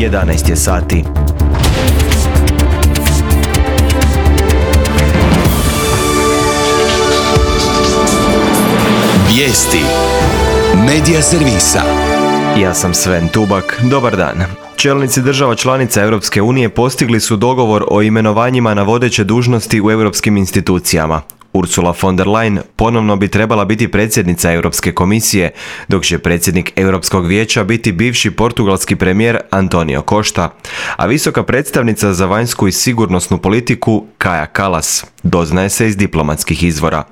11 je sati. Vijesti Medija servisa. Ja sam Sven Tubak, dobar dan. Čelnici država članica Europske unije postigli su dogovor o imenovanjima na vodeće dužnosti u europskim institucijama. Ursula von der Leyen ponovno bi trebala biti predsjednica Europske komisije, dok će predsjednik Europskog vijeća biti bivši portugalski premijer Antonio Costa, a visoka predstavnica za vanjsku i sigurnosnu politiku Kaja Kallas, doznaje se iz diplomatskih izvora.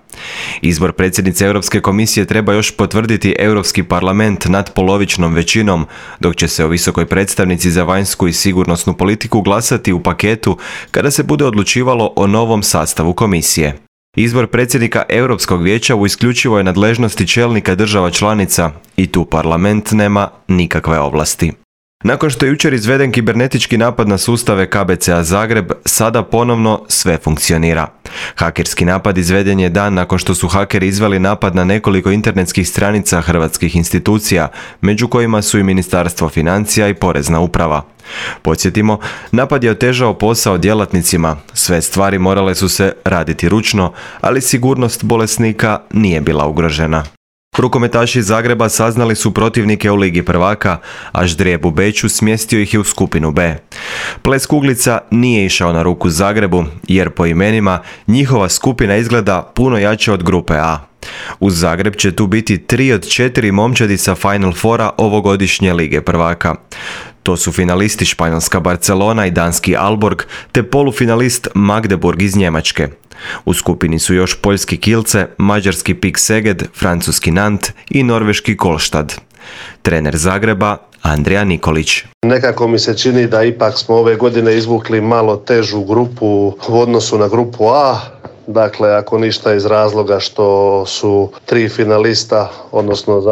Izbor predsjednice Europske komisije treba još potvrditi Europski parlament nadpolovičnom većinom, dok će se o visokoj predstavnici za vanjsku i sigurnosnu politiku glasati u paketu kada se bude odlučivalo o novom sastavu komisije. Izbor predsjednika Europskog vijeća u isključivoj nadležnosti čelnika država članica i tu parlament nema nikakve ovlasti. Nakon što je jučer izveden kibernetički napad na sustave KBC-a Zagreb, sada ponovno sve funkcionira. Hakerski napad izveden je dan nakon što su hakeri izveli napad na nekoliko internetskih stranica hrvatskih institucija, među kojima su i Ministarstvo financija i Porezna uprava. Podsjetimo, napad je otežao posao djelatnicima, sve stvari morale su se raditi ručno, ali sigurnost bolesnika nije bila ugrožena. Rukometaši iz Zagreba saznali su protivnike u Ligi prvaka, a ždrijeb u Beču smjestio ih je u skupinu B. Ples kuglica nije išao na ruku Zagrebu, jer po imenima njihova skupina izgleda puno jače od grupe A. Uz Zagreb će tu biti 3 od 4 momčadi sa Final Fora ovogodišnje Lige prvaka. To su finalisti španjolska Barcelona i danski Aalborg, te polufinalist Magdeburg iz Njemačke. U skupini su još poljski Kielce, mađarski PIK Szeged, francuski Nantes i norveški Kolstad. Trener Zagreba Andrija Nikolić. Nekako mi se čini da ipak smo ove godine izvukli malo težu grupu u odnosu na grupu A. Dakle, ako ništa iz razloga što su 3 finalista, odnosno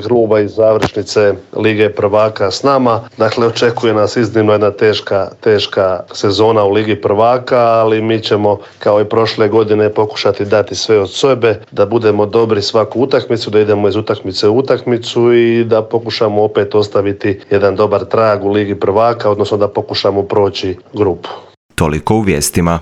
kluba iz završnice Lige prvaka s nama. Dakle, očekuje nas iznimno jedna teška sezona u Ligi prvaka, ali mi ćemo kao i prošle godine pokušati dati sve od sebe, da budemo dobri svaku utakmicu, da idemo iz utakmice u utakmicu i da pokušamo opet ostaviti jedan dobar trag u Ligi prvaka, odnosno da pokušamo proći grupu. Toliko u vijestima.